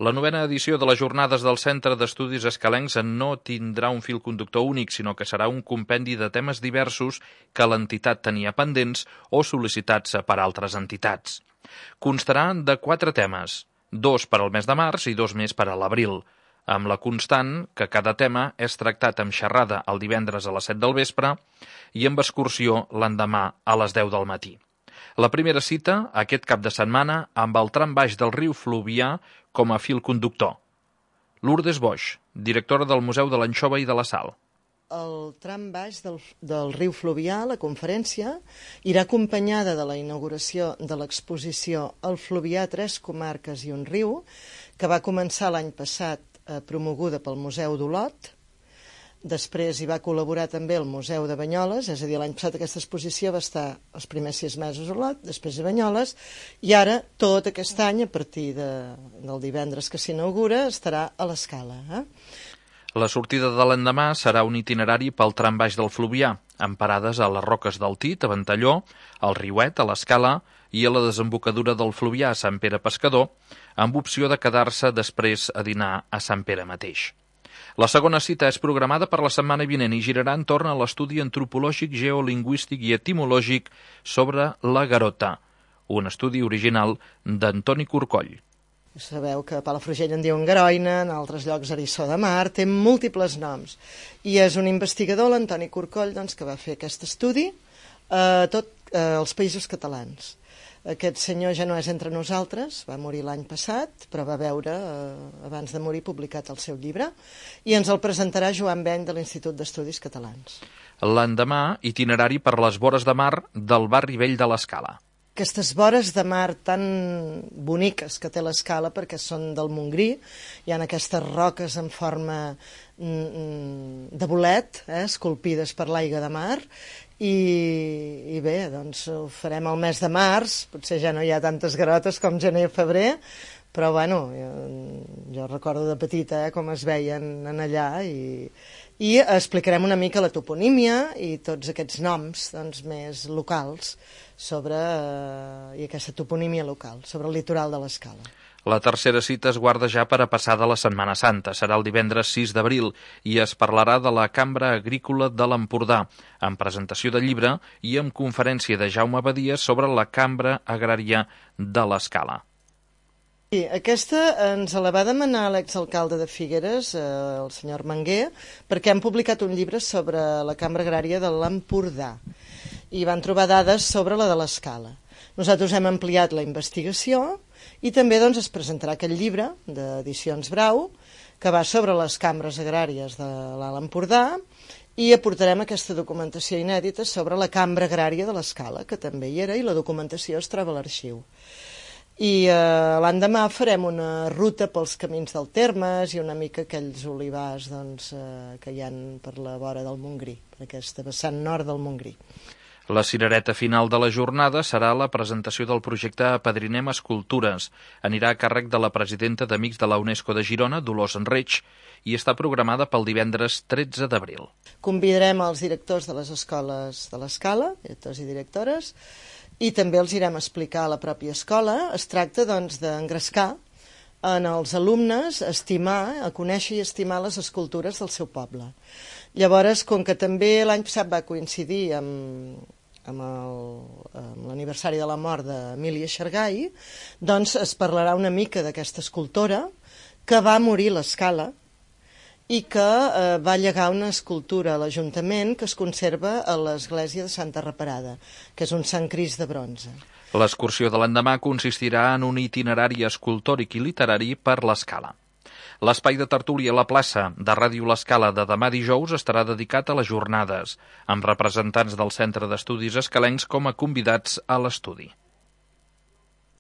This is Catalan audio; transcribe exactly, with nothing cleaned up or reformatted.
La novena edició de les jornades del Centre d'Estudis Escalencs no tindrà un fil conductor únic, sinó que serà un compendi de temes diversos que l'entitat tenia pendents o sol·licitats per altres entitats. Constarà de quatre temes, dos per al mes de març i dos més per a l'abril, amb la constant que cada tema és tractat amb xerrada el divendres a les set del vespre i amb excursió l'endemà a les deu del matí. La primera cita, aquest cap de setmana, amb el tram baix del riu Fluvià com a fil conductor. Lourdes Boix, directora del Museu de l'Anxova i de la Sal. El tram baix del, del riu Fluvià, la conferència, irà acompanyada de la inauguració de l'exposició El Fluvià, tres comarques i un riu, que va començar l'any passat eh, promoguda pel Museu d'Olot. Després hi va col·laborar també el Museu de Banyoles, és a dir, l'any passat aquesta exposició va estar els primers sis mesos a Olot, després a Banyoles, i ara, tot aquest any, a partir de, del divendres que s'inaugura, estarà a l'Escala. Eh? La sortida de l'endemà serà un itinerari pel tram baix del Fluvià, amb parades a les Roques del Tit, a Ventalló, al Riuet, a l'Escala i a la desembocadura del Fluvià a Sant Pere Pescador, amb opció de quedar-se després a dinar a Sant Pere mateix. La segona cita és programada per la setmana vinent i girarà entorn a l'estudi antropològic, geolingüístic i etimològic sobre la garota, un estudi original d'Antoni Corcoll. Sabeu que a Palafrugell en diuen garoina, en altres llocs eriçó de mar, té múltiples noms. I és un investigador, l'Antoni Corcoll, doncs, que va fer aquest estudi a eh, tots eh, els països catalans. Aquest senyor ja no és entre nosaltres, va morir l'any passat, però va veure, eh, abans de morir, publicat el seu llibre, i ens el presentarà Joan Beny de l'Institut d'Estudis Catalans. L'endemà, itinerari per les vores de mar del barri vell de l'Escala. Aquestes vores de mar tan boniques que té l'Escala, perquè són del Montgrí, hi ha aquestes roques en forma de bolet, eh, esculpides per l'aigua de mar, I, i bé, doncs ho farem al mes de març, potser ja no hi ha tantes garotes com gener o febrer, però bueno, jo, jo recordo de petita eh, com es veien en allà i, i explicarem una mica la toponímia i tots aquests noms doncs, més locals sobre, eh, i aquesta toponímia local, sobre el litoral de l'Escala. La tercera cita es guarda ja per a passada la Setmana Santa. Serà el divendres sis d'abril i es parlarà de la Cambra Agrícola de l'Empordà, amb presentació de llibre i amb conferència de Jaume Badies sobre la Cambra Agrària de l'Escala. Sí, aquesta ens la va demanar l'exalcalde de Figueres, eh, el senyor Manguer, perquè han publicat un llibre sobre la Cambra Agrària de l'Empordà i van trobar dades sobre la de l'Escala. Nosaltres hem ampliat la investigació i també doncs, es presentarà aquest llibre d'Edicions Brau que va sobre les cambres agràries de l'Alt Empordà i aportarem aquesta documentació inèdita sobre la Cambra Agrària de l'Escala, que també hi era, i la documentació es troba a l'arxiu. I eh, l'endemà farem una ruta pels camins del Termes i una mica aquells olivars doncs, eh, que hi ha per la vora del Montgrí, per aquesta vessant nord del Montgrí. La cirereta final de la jornada serà la presentació del projecte Apadrinem Escultures. Anirà a càrrec de la presidenta d'Amics de la UNESCO de Girona, Dolors Enreig, i està programada pel divendres tretze d'abril. Convidarem els directors de les escoles de l'Escala, directors i directores, i també els irem a explicar a la pròpia escola. Es tracta doncs, d'engrescar en els alumnes a estimar, a conèixer i estimar les escultures del seu poble. Llavors, com que també l'any passat va coincidir amb, amb l'aniversari de la mort d'Emília Xargai, doncs es parlarà una mica d'aquesta escultora que va morir a l'Escala i que eh, va llegar una escultura a l'Ajuntament que es conserva a l'església de Santa Reparada, que és un Sant Crist de bronze. L'excursió de l'endemà consistirà en un itinerari escultòric i literari per l'Escala. L'espai de tertúlia a la plaça de Ràdio L'Escala de demà dijous estarà dedicat a les jornades, amb representants del Centre d'Estudis Escalencs com a convidats a l'estudi.